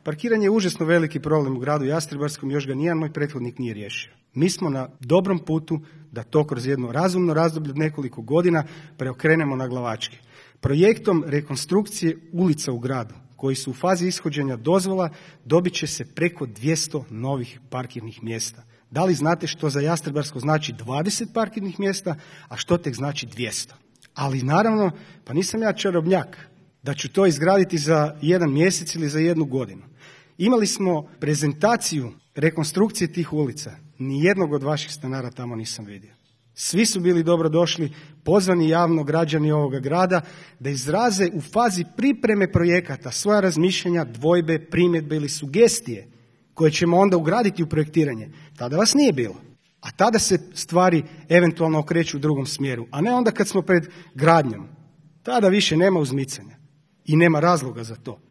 Parkiranje je užasno veliki problem u gradu Jastrebarskom, još ga nijedan moj prethodnik nije riješio. Mi smo na dobrom putu da to kroz jedno razumno razdoblje od nekoliko godina preokrenemo na glavačke. Projektom rekonstrukcije ulica u gradu, koji su u fazi ishođenja dozvola, dobit će se preko 200 novih parkirnih mjesta. Da li znate što za Jastrebarsko znači 20 parkirnih mjesta, a što tek znači 200? Ali naravno, pa nisam ja čarobnjak da ću to izgraditi za 1 mjesec ili za 1 godinu. Imali smo prezentaciju rekonstrukcije tih ulica. Nijednog od vaših stanara tamo nisam vidio. Svi su bili dobrodošli, pozvani javno građani ovoga grada da izraze u fazi pripreme projekata svoja razmišljanja, dvojbe, primjedbe ili sugestije koje ćemo onda ugraditi u projektiranje. Tada vas nije bilo. A tada se stvari eventualno okreću u drugom smjeru, a ne onda kad smo pred gradnjom. Tada više nema uzmicanja i nema razloga za to.